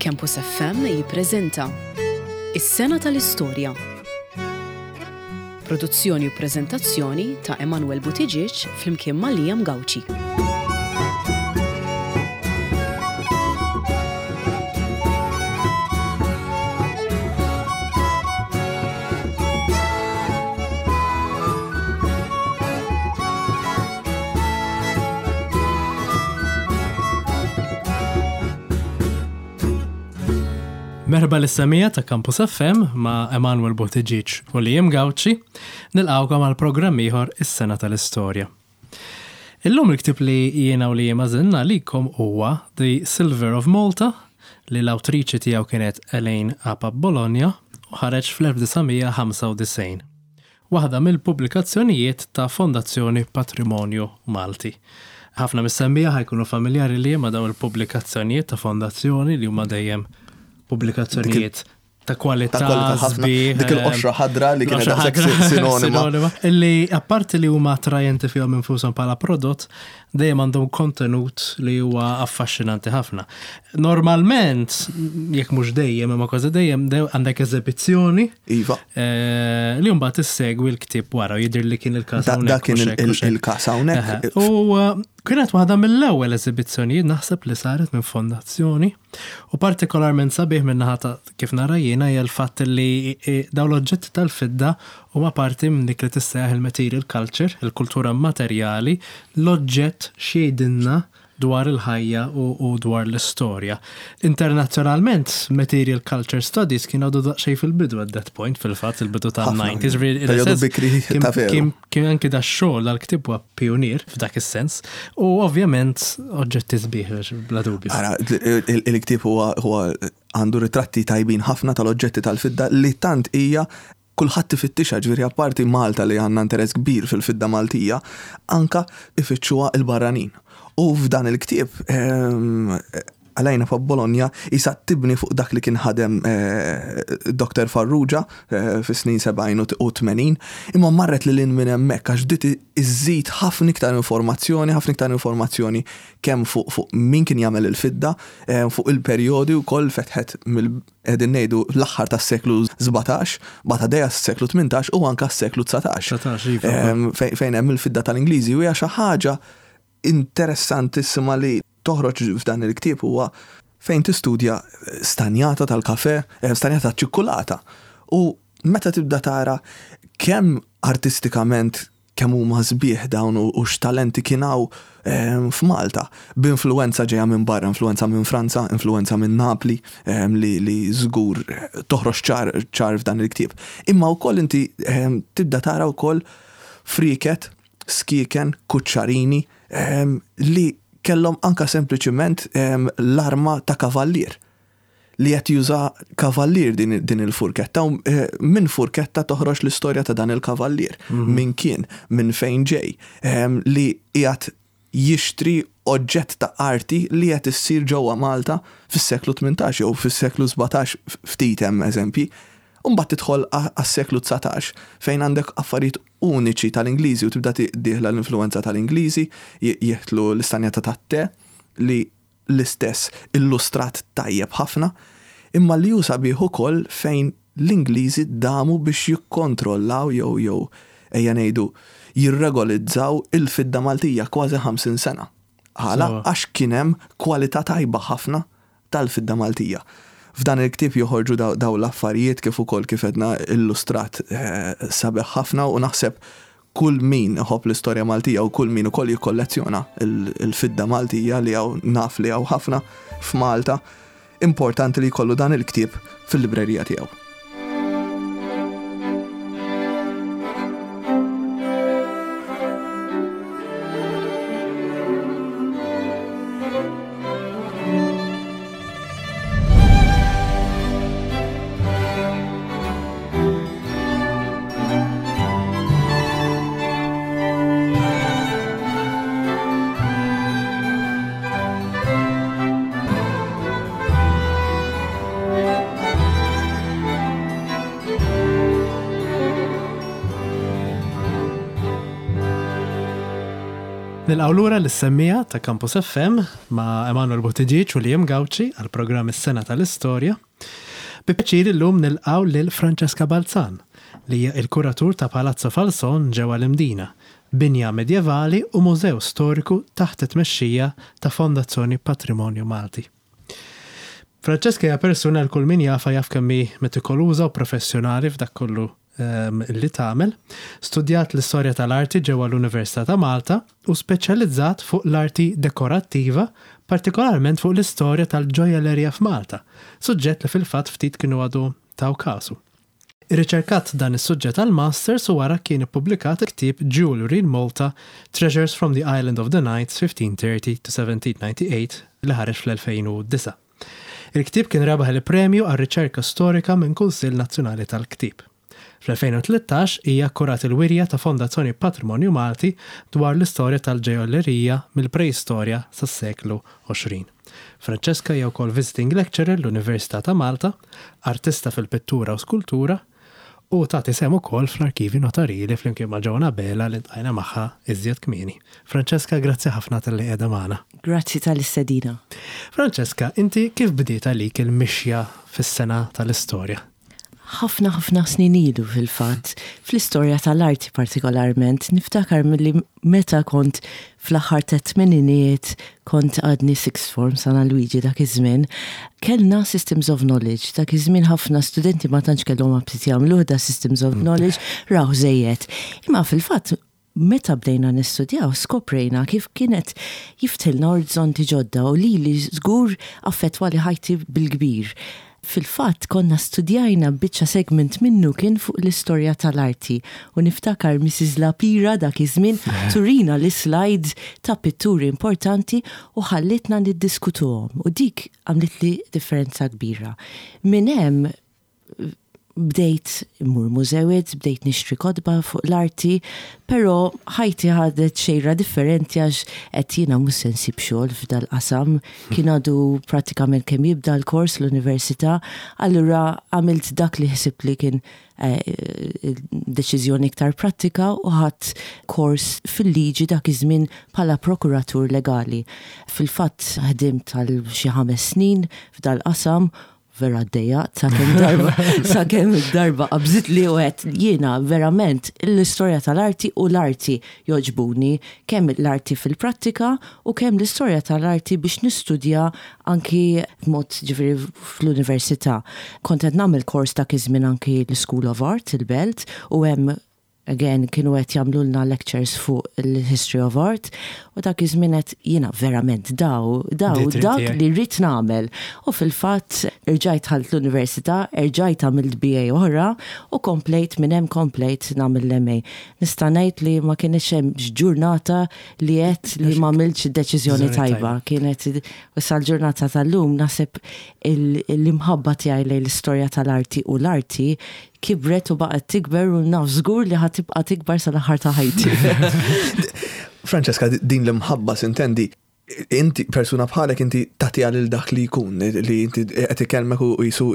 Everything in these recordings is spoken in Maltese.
Campus FM jippreżenta Is-Sena tal-Istorja. Produzzjoni u preżentazzjoni ta' Emanuel Buttigieg flimkien ma' Liam Gauci. Merħba lis-semija ta' Campus FM ma' Emanuel Buttigieg u Liam Gauci, nilqgħukom għal programm ieħor is-sena tal-istorja. Illum il-ktieb li jiena u Liam għażilna għalikom huwa The Silver of Malta li l-awtriċi tiegħu kienet Elaine Apap Bologna u ħareġ fl-1995. Waħda mill-pubblikazzjonijiet ta' Fondazzjoni Patrimonju Malti. Ħafna mis-semmiegħa ħa jkunu familjari li ma' dawn il-pubblikazzjonijiet ta' Fondazzjoni li huma dejjem pubblikazzjonijiet ta' kwalità ħafna. Dik il-qoxra ħadra li kienet daqshekk sinonima. Illi apparti li huma attrajenti fihom infushom bħala prodott, dejjem għandhom kontenut li huwa affaxxinanti ħafna. Normalment, jekk mhux dejjem, imma kważi dejjem, għandek eżebizzjoni. Iva. Eh, li mbagħad issegwi l-ktieb wara jidher li kien il-każ hawnhekk. Da kien il-każ hawnhekk. U eh, kienet waħda mill-ewwel eżibizzjonijiet naħseb li saret minn fondazzjoni u partikolarment sabiħ minn naħa ta' kif nara jiena hija l-fatt li eh, dawn l-oġġetti tal-fidda huma parti minn dik li tissejjaħ il-material culture, il-kultura materjali, l-oġġett x'jgħidilna dwar il-ħajja u dwar l-istorja. Internazzjonalment, Material Culture Studies kien għadu daqsxejn fil-bidu at that point, fil-fatt, il-bidu tal-90s. Periodu bikri ta' veru. Kien anki da xogħol dal-ktieb huwa pionier f'dak is-sens u ovvjament oġġetti sbieħ bla dubju. Ara, il-ktieb huwa għandu ritratti tajbin ħafna tal-oġġetti tal-fidda li tant hija Kulħadd ifittixha, ġifieri apparti Malta li għandna interess kbir fil-fidda Maltija, anka ifittxuha l-barranin. U f'dan il-ktieb Alaina fa' Bologna qisha tibni fuq dak li kien ħadem Doctor Farrugia fis-snin 70 u 80, imma marret lil hinn minn hemmhekk għax bdiet iżżid ħafna iktar informazzjoni, ħafna iktar informazzjoni kemm fuq min kien jagħmel il-fidda, fuq il-perjodi wkoll fetħet mill Qegħdin ngħidu l-aħħar tas-seklu 17, bagħad għaddejja s-seklu 18 u anke s-seklu 19. Iva. Fejn hemm il-fidda tal-Ingliżi u hija xi ħaġa interessantissima li toħroġ f'dan il-ktieb huwa fejn tistudja stanjata tal-kafe, eh, stanjata ċ-ċikkulata. U meta tibda tara kemm artistikament Kemm huma sbieħ dawn u x'talenti kien hawn f'Malta. B'influwenza ġejja minn barra, influwenza minn Franza, influwenza minn Napli li li żgur toħroġ ċar ċar f'dan il-ktieb. Imma wkoll inti tibda tara wkoll frieket, skieken, kuċċarini li kellhom anke sempliċiment l-arma ta' kavallier. li qed juża kavallier din, din il-furketta u eh, minn furketta toħroġ l-istorja ta' dan il-kavallier, mhm. minn kien, minn fejn ġej, ehm, li qiegħed jixtri oġġett ta' arti li qed issir ġewwa Malta fis-seklu 18 jew fis-seklu 17 ftit hemm eżempji. Imbagħad tidħol għas-seklu 19 fejn għandek affarijiet uniċi tal-Ingliżi u tibda dieħla l-influenza tal-Ingliżi, jieħtlu l-istanjata tat-te li l-istess illustrat tajjeb ħafna, imma li hu sabiħ ukoll fejn l-Ingliżi damu biex jikkontrollaw jew jew ejja ngħidu jirregolizzaw il-fidda Maltija kważi 50 sena. Għala? Għax kien hemm kwalità tajba ħafna tal-fidda Maltija. F'dan il-ktieb joħorġu dawn l-affarijiet kif ukoll kif għedna illustrat sabiħ ħafna u naħseb Kull min iħobb l-istorja Maltija u kull min ukoll jikkollezzjona l-fidda Maltija li hawn naf li hawn ħafna f'Malta, importanti li jkollu dan il-ktieb fil-librerija tiegħu. Nilqgħu lura lis-semmiegħa ta' Campus FM ma' Emanuel Buttigieg u Liam Gauci għall-programm Is-Sena tal-Istorja. Bi pjaċir illum nilqgħu lil Francesca Balzan, li hija il-kuratur ta' Palazzo Falson ġewwa l-Imdina, binja medjevali u mużew storiku taħt it-tmexxija ta' Fondazzjoni Patrimonju Malti. Francesca hija persuna li kull min jafha jaf kemm hi metikoluża u professjonali f'dak kollu li tagħmel. Studjat l-istorja tal-arti ġewwa l-Università ta' Malta u speċjalizzat fuq l-arti dekorattiva, partikolarment fuq l-istorja tal-ġojellerija f'Malta, suġġett li fil-fatt ftit kienu għadu taw kasu. Irriċerkat dan is-suġġett għall-Masters u wara kien ippubblikat il-ktieb Jewellery in Malta, Treasures from the Island of the Knights 1530 to 1798 li ħareġ fl-2009. Il-ktieb kien rebaħ il-Premju għar-Riċerka Storika minn Kunsill Nazzjonali tal-Ktieb. Fl-2013 hija kkurat il-wirja ta' Fondazzjoni Patrimonju Malti dwar l-istorja tal-ġejollerija mill-preistorja sas-seklu 20. Francesca hija wkoll visiting lecturer l-Università ta' Malta, artista fil-pittura u skultura, u tagħti sehem ukoll fl-Arkivji Notarili flimkien ma' Joan Abela li ltqajna magħha iżjed kmieni. Francesca, grazzi ħafna talli qiegħda magħna. Grazzi tal-istedina. Francesca, inti kif bdiet għalik il-mixja fis-sena tal-istorja? Ħafna ħafna snin ilu fil-fatt, fl-istorja tal-arti partikolarment, niftakar milli meta kont fl-aħħar tat-tmeninijiet kont għadni sixth form San Alwiġi dak iż-żmien, kellna systems of knowledge. Dak iż-żmien ħafna studenti ma tantx kellhom aptit jagħmluh da systems of knowledge, rawh żejjed. Imma fil-fatt meta bdejna nistudjaw skoprejna kif kienet jiftħilna orizzonti ġodda u lili żgur affettwali ħajti bil-kbir. Fil-fatt konna studjajna biċċa segment minnu kien fuq l-istorja tal-arti u niftakar Mrs. Lapira dak iż-żmien turina l-islides ta' pitturi importanti u ħallitna niddiskutuhom u dik għamlitli differenza kbira. Minn hemm bdejt immur mużewiet, bdejt nixtri kotba fuq l-arti, però ħajti ħadet xejra differenti għax qed jiena mhux se nsib xogħol f'dal-qasam, kien għadu prattikament kemm jibda l-kors l-università, allura għamilt dak li ħsibt li kien eh, deċiżjoni iktar prattika u ħadt kors fil-liġi dak iż-żmien bħala prokuratur legali. Fil-fatt ħdimt għal xi ħames snin f'dal-qasam vera ddejjaqt sakemm darba sakemm darba qabżitli u għedt jiena verament l-istorja tal-arti u l-arti jogħġbuni kemm l-arti fil-prattika u kemm l-istorja tal-arti biex nistudja anki b'mod ġifieri fl-università. Kont qed nagħmel kors dak iż-żmien anki l-School of Art il-Belt u hemm Again, kienu qed jagħmlulna lectures fuq il-history of art u dak iż-żmien qed jiena verament daw, daw, dak li rrid nagħmel. U fil-fatt irġajt dħalt l-università, erġajt għamilt BA oħra u komplejt minn hemm komplejt nagħmel l-MA. Nista' ngħid li ma kienx hemm ġurnata li għedt li m'għamiltx deċiżjoni tajba. Kienet u sal-ġurnata tal-lum naħseb l-imħabba tiegħi lejn l-istorja tal-arti u l-arti kibret u baqgħet tikber u naf żgur li ħa tibqa' tikbar sal-aħħar ta' ħajti. Francesca, din l-imħabba sintendi, inti persuna bħalek inti tagħtiha lil dak li jkun, li inti qed ikellmek u jisu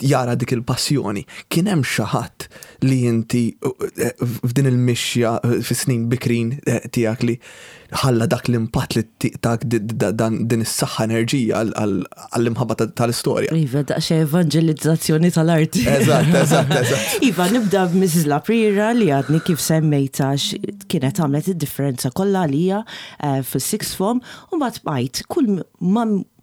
jara dik il-passjoni. Kien hemm xi ħadd li inti f'din il-mixja fis-snin bikrin tiegħek li ħalla dak l-impatt li tak din is-saħħa enerġija għall-imħabba tal-istorja. Iva, daqsxejn evanġelizzazzjoni tal-arti. Eżatt, eżatt, eżatt. Iva, nibda b'Mrs. Laprira li għadni kif semmejta kienet għamlet id-differenza kollha għalija eh, fis-sixth form u mbagħad bqajt kull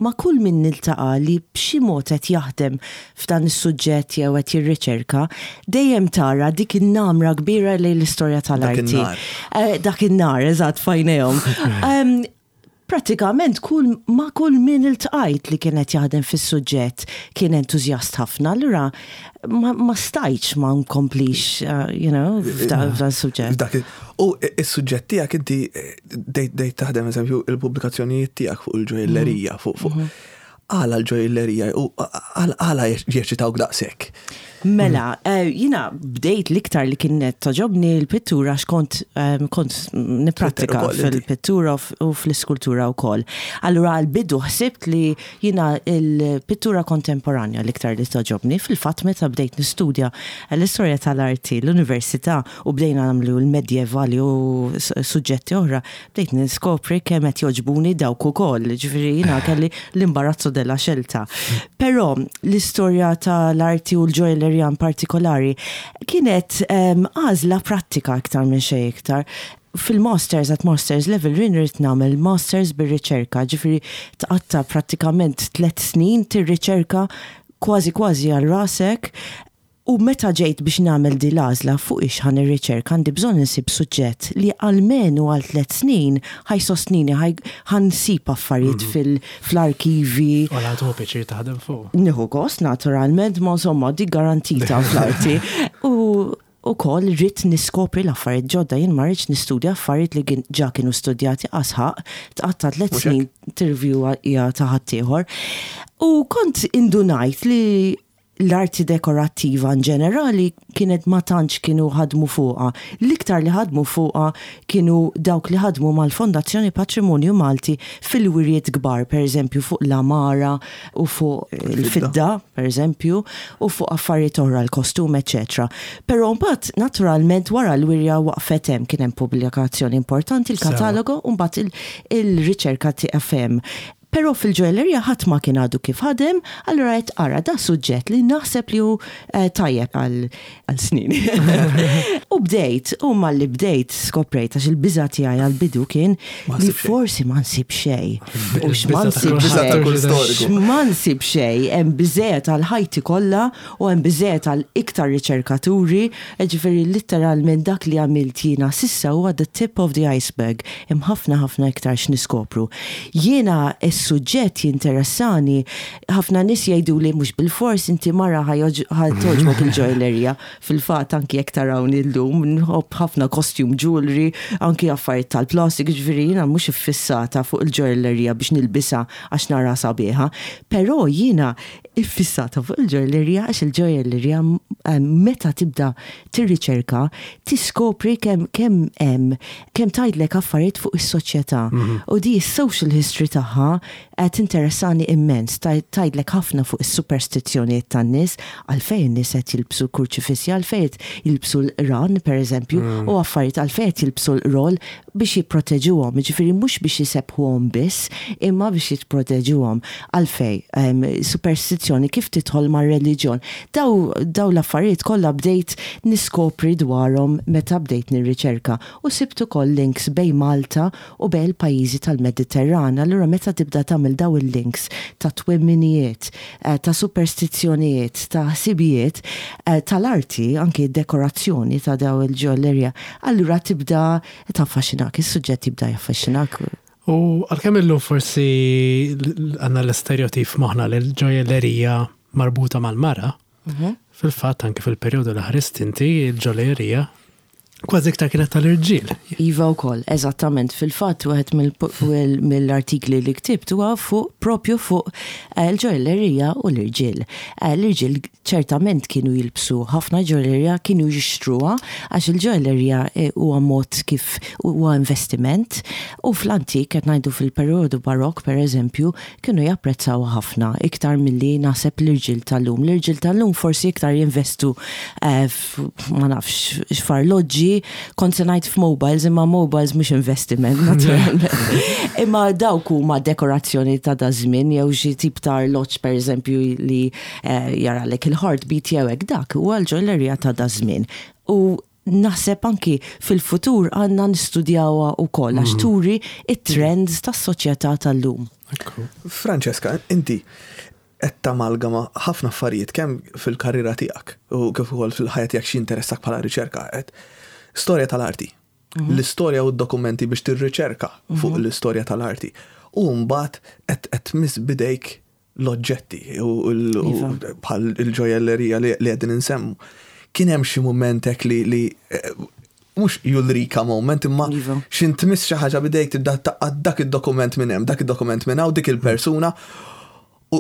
ma' kull min niltaqa' li b'xi mod qed jaħdem f'dan is-suġġett jew qed jirriċerka, dejjem tara dik in-namra kbira lejn l-istorja tal-arti. Dak in-nar, eżatt, f'għajnejhom. Prattikament kull ma' kull min iltqajt li kien qed jaħdem fis-suġġett kien entużjast ħafna, allura ma stajtx ma nkomplix, you know, f'dan is-suġġett. U s-suġġett tiegħek inti bdejt taħdem eżempju il-pubblikazzjonijiet tiegħek fuq il-ġojjellerija, fuq fuq. Għala l-ġojjellerija u għala jeċċitawk daqshekk? Mela, eh, jina bdejt l-iktar li kienet toġobni l-pittura għax kont eh, kont niprattika fil-pittura u fl-iskultura wkoll. Allura għal-bidu ħsibt li jina l-pittura kontemporanja l-iktar li toġobni. Fil-fatt meta bdejt nistudja l-istorja tal-arti l-università u bdejna nagħmlu l-medjevali u suġġetti oħra, Bdejt niskopri kemm qed jogħġbuni dawk ukoll, ġifieri jiena kelli l-imbarazzo della scelta. Però l-istorja tal-arti u l-ġojellerija in partikolari kienet ehm, għażla prattika iktar minn xejn iktar. Fil-masters at masters level jien ridt nagħmel masters bir-riċerka, ġifieri tqatta' prattikament tliet snin tirriċerka kważi kważi għal rasek U meta ġejt biex nagħmel din l-għażla fuq ix ħa nirriċerka għandi bżonn insib suġġett li almenu għal tliet snin ħa jsostnini, ħa nsib affarijiet fl-arkivi. U la tieħu pjaċir taħdem fuqu. Nieħu gost naturalment, ma insomma dik garantita fl-arti. U ukoll ridt niskopri l-affarijiet ġodda, jien ma rridx nistudja affarijiet li ġa kienu studjati qas ħaqq tqatta' tliet snin tirrivjuja ta' ħaddieħor. U kont indunajt li l-arti dekorattiva in ġenerali kienet ma tantx kienu ħadmu fuqha. L-iktar li ħadmu fuqha kienu dawk li ħadmu mal-Fondazzjoni Patrimonju Malti fil-wirjiet kbar, per eżempju fuq l-għamara u fuq il-fidda, per eżempju, u fuq affarijiet oħra, l-kostum, eċċetera. Però mbagħad naturalment wara l-wirja waqfet hemm, kien hemm pubblikazzjoni importanti, il-katalogo, u mbagħad il-riċerka tieqaf hemm. Però fil-ġojellerija ħadd ma kien għadu kif ħadem, allura għedt ara da suġġett li naħseb li hu tajjeb għal snin. U bdejt, u malli bdejt skoprejt għax il-biża' tiegħi għall-bidu kien li forsi ma nsib xejn. U x'ma nsib xejn. X'ma nsib xejn, hemm biżżejjed għal ħajti kollha u hemm biżżejjed għal iktar riċerkaturi, jiġifieri litteralment dak li għamilt jiena s'issa huwa the tip of the iceberg, hemm ħafna ħafna iktar x'niskopru. Jiena s-suġġett jinteressani, ħafna nies jgħiduli mhux bilfors inti mara ħa togħġbok il-ġojjellerija, fil-fatt anki jekk tarawni llum nħobb ħafna costume jewellery, anki affarijiet tal-plastik, jiġifieri jiena mhux iffissata fuq il-ġojjellerija biex nilbisha għax naraha sabiħa, però jiena iffissata fuq il-ġojjellerija għax il-ġojjellerija meta tibda tirriċerka tiskopri kemm kemm hemm kemm tgħidlek affarijiet fuq is-soċjetà. U di s-social history tagħha tinteressani immens, tgħidlek ħafna fuq is-superstizzjonijiet tan-nies, għalfejn in-nies qed jilbsu l-kurċifissi, għalfejn qed jilbsu l-qran pereżempju, u affarijiet għalfejn qed jilbsu l-qrol biex jipproteġuhom, jiġifieri mhux biex isebbħuhom biss, imma biex jipproteġuhom. Għalfejn? Superstizzjoni kif tidħol mar-reliġjon? Daw dawn l-affarijiet kollha bdejt niskopri dwarhom meta bdejt nirriċerka u sibt ukoll links bejn Malta u bejn il-pajjiżi tal-Mediterran. Allura meta tibda tagħmel dawn il-links ta' twemminijiet, ta' superstizzjonijiet, ta' ħsibijiet, tal-arti, anki d-dekorazzjoni ta' dawn il-ġojjellerija, Allura tibda taffaxxinak, is-suġġett jibda jaffaxxinak. U għalkemm illum forsi għandna l-istereotip f'moħħna li l-ġojjellerija marbuta mal-mara, fil-fatt anke fil-perjodu li ħrist inti l-ġojjellerija kważi iktar kienet tal-irġiel. Iva wkoll, eżattament. Fil-fatt wieħed mill-artikli li ktibt huwa fuq propju fuq l-ġojjellerija u l-irġiel. L-irġiel ċertament kienu jilbsu ħafna ġojjellerija, kienu jixtruha għax il-ġojjellerija huwa mod kif huwa investiment u fl-antik qed ngħidu fil-perjodu barokk pereżempju kienu japprezzawha ħafna iktar milli naħseb l-irġiel tal-lum. L-irġiel tal-lum forsi iktar jinvestu ma nafx f'arloġġi, kont se ngħid f'mobiles imma mobiles mhux investiment naturalment. Imma dawk huma dekorazzjoni ta' daż-żmien jew xi tip ta' arloġġ pereżempju li jaralek il-heartbeat jew hekk dak huwa l-ġojlerija ta' daż-żmien. U naħseb anki fil-futur għandna nistudjawha wkoll għax turi it-trends tas-soċjetà tal-lum. Francesca, inti qed tamalgama ħafna affarijiet kemm fil-karriera tiegħek u kif ukoll fil-ħajja tiegħek x'jinteressak bħala riċerka qed storja tal-arti. L-istorja u d-dokumenti biex tirriċerka fuq l-istorja tal-arti. U mbagħad qed tmiss b'idejk l-oġġetti u iva. bħal il-ġojellerija li qegħdin insemmu. Kien hemm xi mument hekk li eh, mhux julrika moment imma iva. x'in tmiss xi ħaġa bidejk tibda taqgħad dak id-dokument minn hemm, dak id-dokument minn hawn, dik il-persuna. U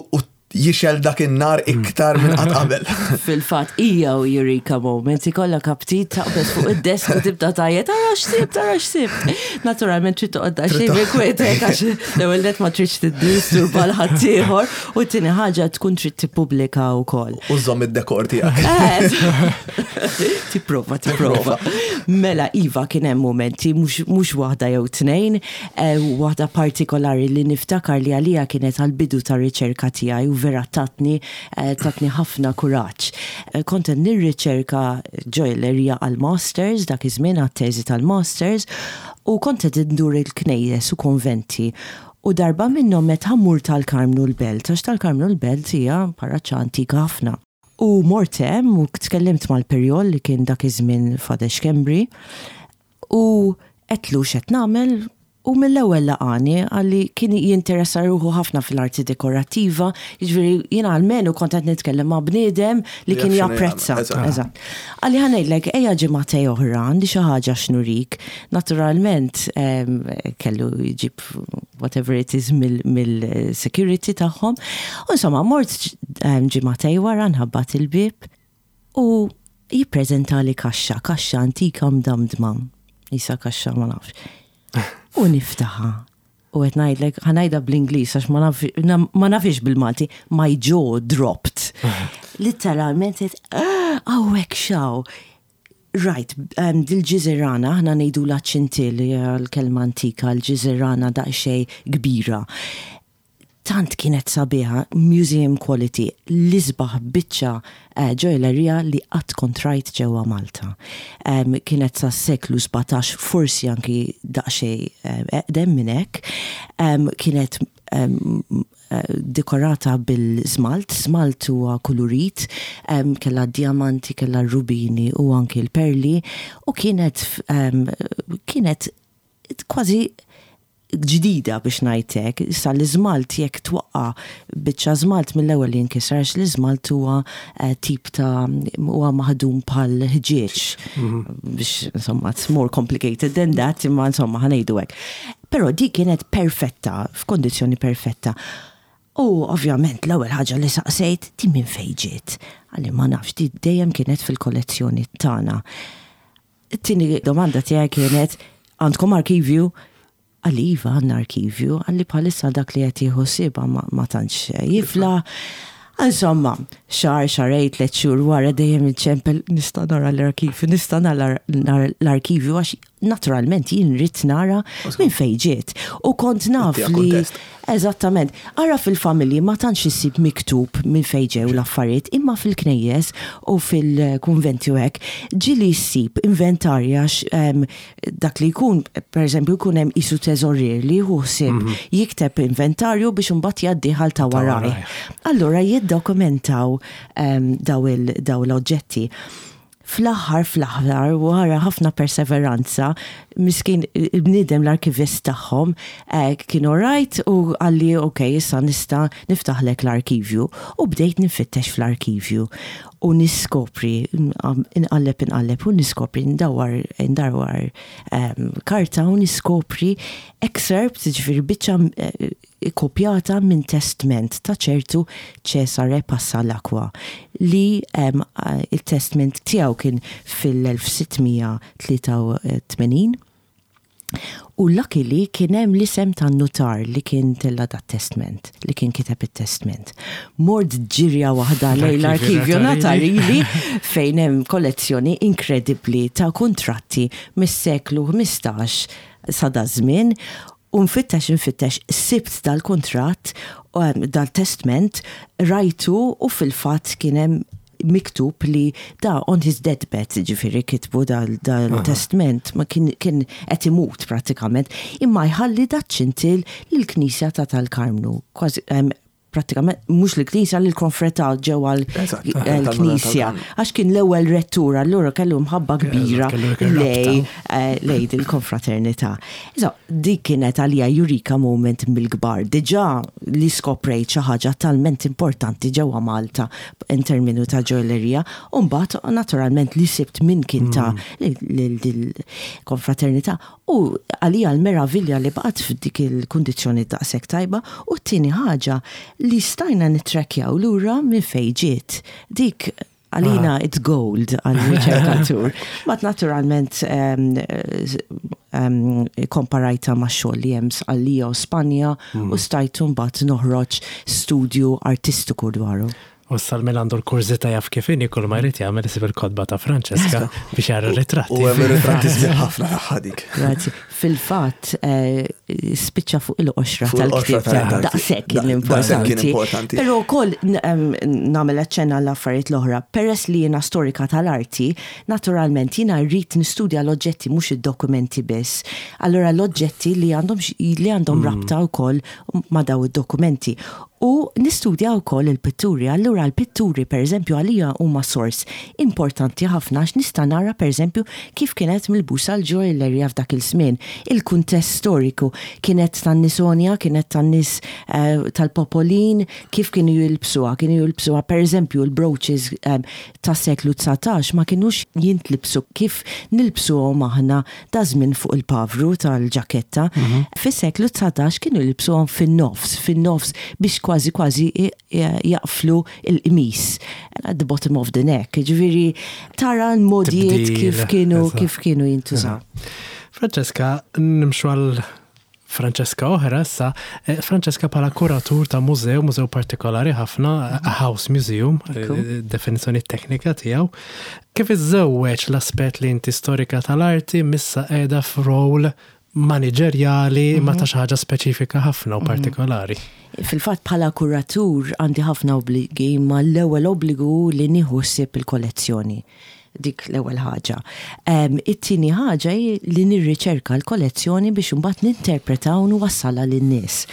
jixgħel dak in-nar iktar minn qatt qabel. Fil-fatt, hija u eureka moment, ikollok aptit taqbeż fuq id-desk u tibda tgħajjat, tara x'sibt, tara x'sibt. Naturalment trid toqgħod daqsxejn bi kwiet għax l-ewwel nett ma tridx tiddisturba 'l ħaddieħor u t-tieni ħaġa tkun trid tippubblika wkoll. U żomm id-dekor tiegħek. Tipprova, tipprova. Mela, iva, kien hemm momenti, mhux waħda jew tnejn, waħda partikolari li niftakar li għalija kienet għal-bidu ta' riċerka tiegħi u vera tatni ħafna kuraġġ. Kont qed nirriċerka ġojellerija għal-masters, dak iż-żmien għat-teżi tal-masters, u kont qed indur il-knejjes u konventi. U darba minnhom meta mmur tal-Karmnu l-Belt, għax tal-Karmnu l-Belt hija parroċċa antika ħafna. U mort hemm u tkellimt mal-Pirjol li kien dak iż-żmien Father Schembri u għedtlu x'qed nagħmel u mill-ewwel laqani għalli kien jinteressa ruħu ħafna fil-arti dekorattiva, jiġifieri jiena almenu kont qed nitkellem ma' bniedem li kien Jaf x'inhu japprezza. jagħmel, eżatt. Eżatt. Qalli ħa ngħidlek ejja ġimgħatej oħra għandi xi ħaġa x'nurik. Naturalment kellu jġib whatever it is mill-security tagħhom. U insomma mort ġimgħatej wara nħabbat il-bib u jippreżentali kaxxa, kaxxa antika mdamdma. Isa kaxxa ma nafx. U niftaħha. U qed ngħidlek, ħa ngħidha bl-Ingliż għax ma nafx bil-Malti, my jaw dropped. Literalment qed, hawnhekk xaw. Right, dil-ġiżirana, aħna ngħidu la ċintil, hija l-kelma antika, l-ġiżirana daqsxejn kbira. Tant kienet sabiħa, museum quality, l-isbaħ biċċa ġojellerija li qatt kont rajt ġewwa Malta. Kienet sa seklu 17, forsi anki daqsxejn eqdem minn hekk. Kienet dekorata bil-żmalt, żmalt huwa kulurit, kellha diamanti, kellha rubini u anki l-perli, u kienet kważi ġdida biex ngħidlek. Issa l-iżmalt jekk twaqqa biċċa żmalt mill-ewwel jinkisar, għax l-iżmalt huwa tip ta' huwa maħdum bħal ħġieġ. Biex insomma it's more complicated than that, imma insomma ħa ngħidu hekk. Però di kienet perfetta, f'kondizzjoni perfetta. U ovvjament l-ewwel ħaġa li saqsejt, di minn fejn ġiet? Qalli ma nafx, di dejjem kienet fil-kollezzjoni tagħna. It-tieni domanda tiegħi kienet, għandkom arkivju? Qalli iva għandna arkivju, qalli bħalissa dak li qed jieħu ħsiebha ma tantx jifla. Insomma, xahar, xahrejn, 3 xhur wara dejjem iċċempel, nista' nara l-arkivju, nista' nara l-arkivju, għax naturalment jien rrid nara minn fejn ġiet. U kont naf Inti li kuntest. Eżattament. Ara fil-familji ma tantx issib miktub minn fejn ġew l-affarijiet, imma fil-knejjes u fil-kunventi u hekk, ġieli ssib inventarja dak li jkun, per eżempju, jkun hemm isu teżorier li jieħu ħsieb jikteb inventarju biex imbagħad jgħaddih għal ta' Ta' waraj. waraj. Allura jiddokumentaw daw l-oġġetti. Fl-aħħar, fl-aħħar, wara ħafna perseveranza, miskin il-bniedem l-arkivist tagħhom kien alright u qalli ok, issa nista' niftaħlek l-arkivju. U bdejt nifittex fl-arkivju u niskopri, inqalleb, inqalleb u niskopri, ndawar, ndawar karta u niskopri excerpt, ġifieri biċċa kopjata minn testment ta' ċertu Cesare Passalacqua li il-testment tiegħu kien fil-1683 u luckily kien hemm l-isem tan-nutar li kien tella dat testment, li kien kiteb it-testment. Mort ġirja waħda lejn l-arkivju Notarili fejn hemm kollezzjoni inkredibbli ta' kontratti mis-seklu 15 sa da żmien. U nfittex, nfittex, sibt dal-kontratt, dal-testment, rajtu u fil-fatt kien hemm miktub li da on his deathbed, ġifieri kitbu dal-testment, ma kien qed imut pratikament, imma jħalli daċ-ċintil lill-Knisja ta' tal-Karmnu. Kważi, pratikament, mhux l-Knisja, l-konfrata ġewwa l-Knisja. Għax kien l-ewwel rettur, allura kellu mħabba kbira kellu dik ir-rabta. lej dil-konfraternità. Iżda, dik kienet għalija eureka moment mill-kbar. Diġà li skoprejt xi ħaġa talment importanti ġewwa Malta in terminu ta' ġojellerija, u mbagħad naturalment li sibt min kien ta' dil-konfraternità. U għalija l-meravilja li baqgħet f'dik il-kundizzjoni daqshekk tajba, u t-tieni ħaġa li stajna nittrackjaw lura minn fejn ġiet. Dik għalina it's gold għal-riċerkatur. Mat naturalment komparajta ma' xogħol li hemm Sqallija u Spanja u stajtu mbagħad noħroġ studju artistiku dwaru. U s-salmin għandu l-kurżità jaf kif inhi kull ma jrid jagħmel isib il-kotba ta' Francesca biex jara ritratti. U hemm ritratti sbieħ ħafna tagħha dik. Grazzi. Fil-fatt eh, spiċċa fuq il-qoxra tal-ktieb daqshekk kien importanti. Però wkoll nagħmel aċċenna l-affarijiet l-oħra. Peress li jiena storika tal-arti, naturalment jiena rrid nistudja l-oġġetti mhux id-dokumenti biss. Allura l-oġġetti li għandhom li għandhom rabta wkoll ma' daw id-dokumenti. U nistudja wkoll il-pitturi. Allura l-pitturi pereżempju għalija huma sors importanti ħafna għax nista' nara pereżempju kif kienet milbusa l-ġojjellerija f'dak il-żmien, il-kuntest storiku, kienet tan-nies għonja, kienet tan-nies tal-popolin, kif kienu jilbsuha, kienu jilbsuha pereżempju l-brooches tas-seklu 19 ma kinux jintlibsu kif nilbsuhom aħna daż-żmien fuq il-pavru tal-ġaketta. Fis-seklu 19 kienu jilbsuhom fin-nofs, fin-nofs biex kważi kważi jaqflu l-qmis at the bottom of the neck. Jiġifieri tara l-modijiet kif kienu kif kienu jintużaw. Francesca, nimxu għal Francesca oħra issa, eh, Francesca bħala kuratur ta' mużew, mużew partikolari ħafna, a house museum, eh, definizzjoni teknika tiegħu. Kif iżżewweġ l-aspett li inti storika tal-arti missa qiegħda f'rol maniġerjali ma ta' xi ħaġa speċifika ħafna u partikolari? Fil-fatt bħala kuratur għandi ħafna obbligi, ma l-ewwel obbligu li nieħu ħsieb il-kollezzjoni. Dik l-ewwel ħaġa. It-tieni ħaġa hi li nirriċerka l-kollezzjoni biex imbagħad ninterpreta u nwassalha lin-nies.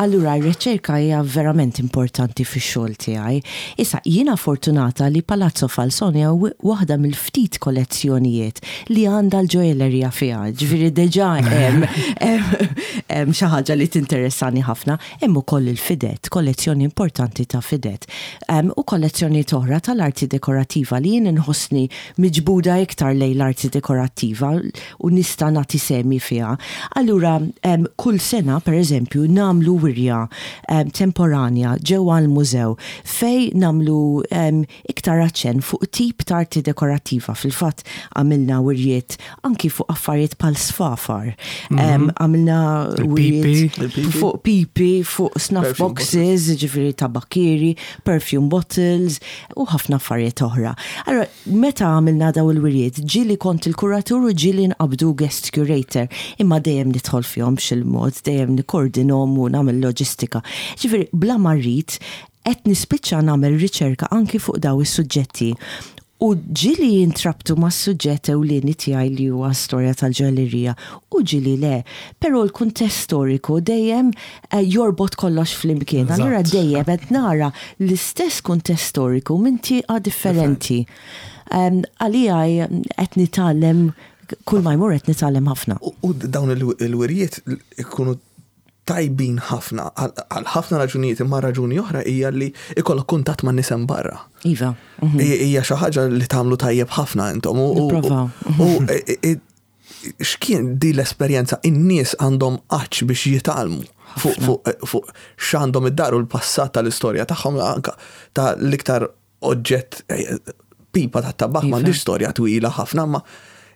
Allura r-riċerka hija verament importanti fix-xogħol tiegħi. Issa, jiena fortunata li Palazzo Falsone hu waħda mill-ftit kollezzjonijiet li għandha l-ġojellerija fiha. Ġifieri diġà hemm hemm xi ħaġa li tinteressani ħafna. Hemm ukoll il-fidet, kollezzjoni importanti ta' fidet. U kollezzjonijiet oħra tal-arti dekorattiva li jien inħossni miġbuda iktar lejn l-arti dekorattiva u nista' nagħti sehmi fiha. Allura kull sena, per eżempju, nagħmlu wirja temporanja ġewwa l-mużew fejn nagħmlu iktar aċċenn fuq tip ta' arti dekorattiva. Fil-fatt għamilna wirjiet anki fuq affarijiet bħal sfafar. Għamilna wirjiet fuq pipi, fuq snuff boxes, ġifieri tabakkieri, perfume bottles u ħafna affarijiet oħra. Allura, meta għamilna daw il-wirjiet, ġieli kont il-kuratur u ġieli nqabdu guest curator, imma dejjem nidħol fihom b'xi mod, dejjem nikkordinhom u nagħmel loġistika. Ġifieri, bla ma rrid, Qed nispiċċa nagħmel riċerka anki fuq daw is-suġġetti u ġieli jintrabtu mas-suġġett ewlieni tiegħi li huwa storja tal-ġojjellerija u ġieli le. Però l-kuntest storiku dejjem jorbot kollox flimkien. Allura dejjem qed nara l-istess kuntest storiku minn tieqa differenti. Għalija qed nitgħallem kull ma jmur qed nitgħallem ħafna. U dawn il-wirjiet ikunu tajbin ħafna għal ħafna raġunijiet imma raġuni oħra hija li ikollok kuntatt man nies hemm barra. Iva. Mhm. Hija xi ħaġa li tagħmlu tajjeb ħafna intom. U x'kien di l-esperjenza in-nies għandhom għatx biex jitgħallmu fuq x'għandhom id-dar u l-passat tal-istorja tagħhom anka ta' l-iktar oġġett pipa ta' tabak iva. m'għandix storja twila ħafna ma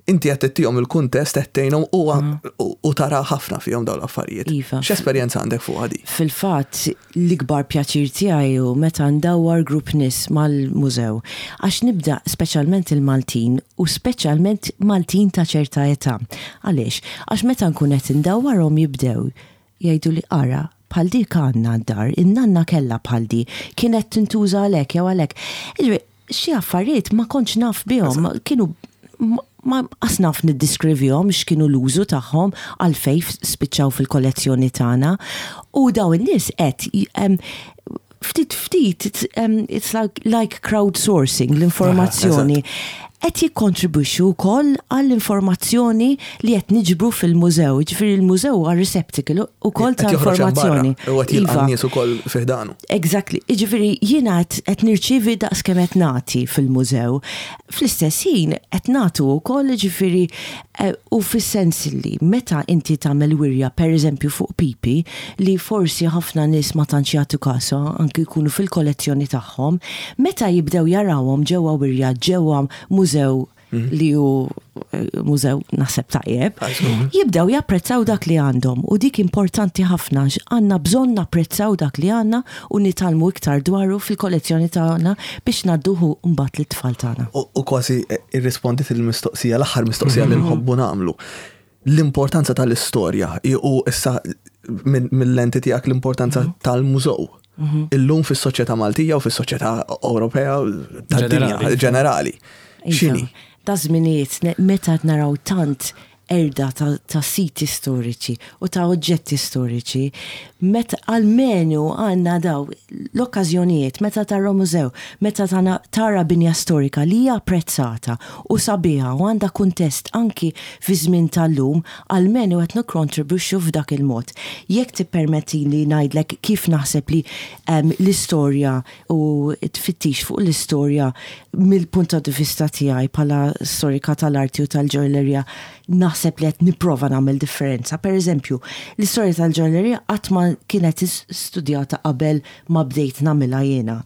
inti qed tittihom il-kuntest qed tgħinhom u tara ħafna fihom dawn l-affarijiet. Iva. X'esperjenza għandek fuq għadi? Fil-fatt l-ikbar pjaċir tiegħi hu meta ndawwar grupp nies mal-mużew. Għax nibda speċjalment il-Maltin u speċjalment Maltin ta' ċerta età. Għaliex? Għax meta nkun qed indawwarhom jibdew Jgħiduli ara, bħal dik għandna d-dar, in-nanna kellha bħal di, kienet tintuża għal hekk jew għal hekk. Jiġifieri, xi affarijiet ma kontx naf bihom, kienu ma qas naf niddiskrivihom x'kienu l-użu tagħhom, għalfejn spiċċaw fil-kollezzjoni tagħna. U dawn in-nies qed ftit ftit, it's like, like crowdsourcing l-informazzjoni. Qed jikkontribwixxu wkoll għall-informazzjoni li qed niġbru fil-mużew. Ġifieri l-mużew huwa receptacle ukoll ta' informazzjoni. U qed jilqa' iva. nies ukoll fi ħdanu. Exactly. Ġifieri jiena qed nirċievi daqs kemm qed nagħti fil-mużew. Fl-istess ħin qed nagħtu wkoll ġifieri Eh, u fis-sens li meta inti tagħmel wirja pereżempju fuq pipi li forsi ħafna nies ma tantx jagħtu kasha anki jkunu fil-kollezzjoni tagħhom, meta jibdew jarawhom ġewwa wirja ġewwa mużew mhm. li hu eh, mużew naħseb tajjeb, jibdew japprezzaw dak li għandhom u dik importanti ħafna għandna bżonn napprezzaw dak li għandna u nitgħallmu iktar dwaru fil-kollezzjoni tagħna biex ngħadduhu mbagħad lit-tfal tagħna. U kważi eh, irrispondiet il-mistoqsija, l-aħħar mistoqsija li nħobbu nagħmlu. L-importanza tal-istorja u issa mill-lenti tiegħek l-importanza mhm. tal-mużew. Mhm. Illum fis-soċjetà Maltija u fis-soċjetà Ewropea tad-dinja ġenerali. Iva. X'inhi? Da żminijiet meta naraw tant qerda ta' siti storiċi u ta' oġġetti storiċi, meta almenu għandna daw l-okkażjonijiet meta tara mużew, meta tara binja storika li hija apprezzata u sabiħa u għandha kuntest anki fiż-żmien tal-lum, almenu qed nikkontribwixxu f'dak il-mod. Jekk tippermettili ngħidlek kif naħseb li l-istorja u t-tfittix fuq l-istorja mill-punt ta' vista tiegħi bħala storika tal-arti u tal-ġojjellerija naħseb li qed nipprova nagħmel differenza. Per eżempju, l-istorja tal-ġojjellerija qatt ma kienet studjata qabel ma bdejt nagħmilha jiena.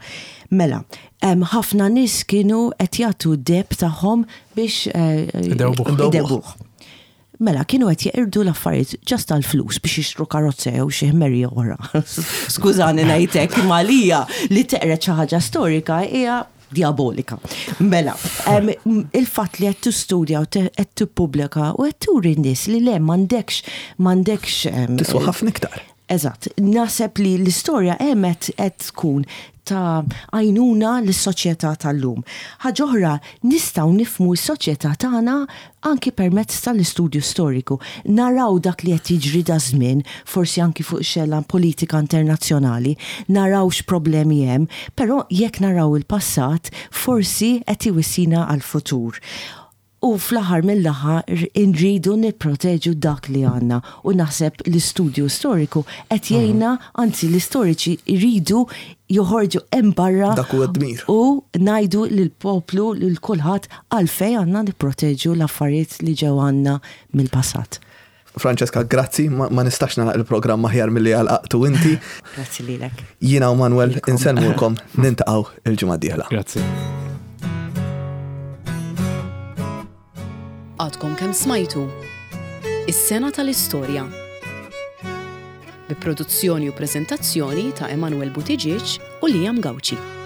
Mela, ħafna nies kienu qed jagħtu d-deheb tagħhom biex eh, idewbuh. Mela, kienu qed jeqirdu l-affarijiet ġast għall-flus biex jixtru karozza jew xi ħmerija oħra. Skużani ngħidlek, imma għalija li teqred xi ħaġa storika hija diabolika. Mela, il-fatt li qed tistudja u qed tippubblika u qed turi n-nies li le m'għandekx m'għandekx. Tiswa ħafna iktar. Eżatt. Naħseb li l-istorja hemm qed tkun ta' għajnuna lis-soċjetà tal-lum. Ħaġa oħra, nistgħu nifhmu s-soċjetà tagħna anki permezz tal-istudju storiku. Naraw dak li qed jiġri daż-żmien, forsi anki fuq xena politika internazzjonali, naraw x'problemi hemm, però jekk naraw il-passat, forsi qed iwissina għall-futur. U fl-aħħar mill-aħħar inridu nipproteġu dak li għandna u naħseb l-istudju storiku qed jgħinna, anzi l-istoriċi jridu joħorġu hemm barra Dak huwa d-dmir. u ngħidu lill-poplu, lil kulħadd għalfejn għandna nipproteġu l-affarijiet li ġew għandna mill-passat. Francesca, grazzi, ma nistax nagħlaq il-programm aħjar milli għalaqtu inti. Grazzi lilek. Jiena u Manuel insellmulkom nintaqgħu il-ġimgħa d-dieħla. Grazzi. Għadkom kemm smajtu Is-sena tal-istorja. Bi produzzjoni u preżentazzjoni ta' Emanuel Buttigieg u Liam Gauci.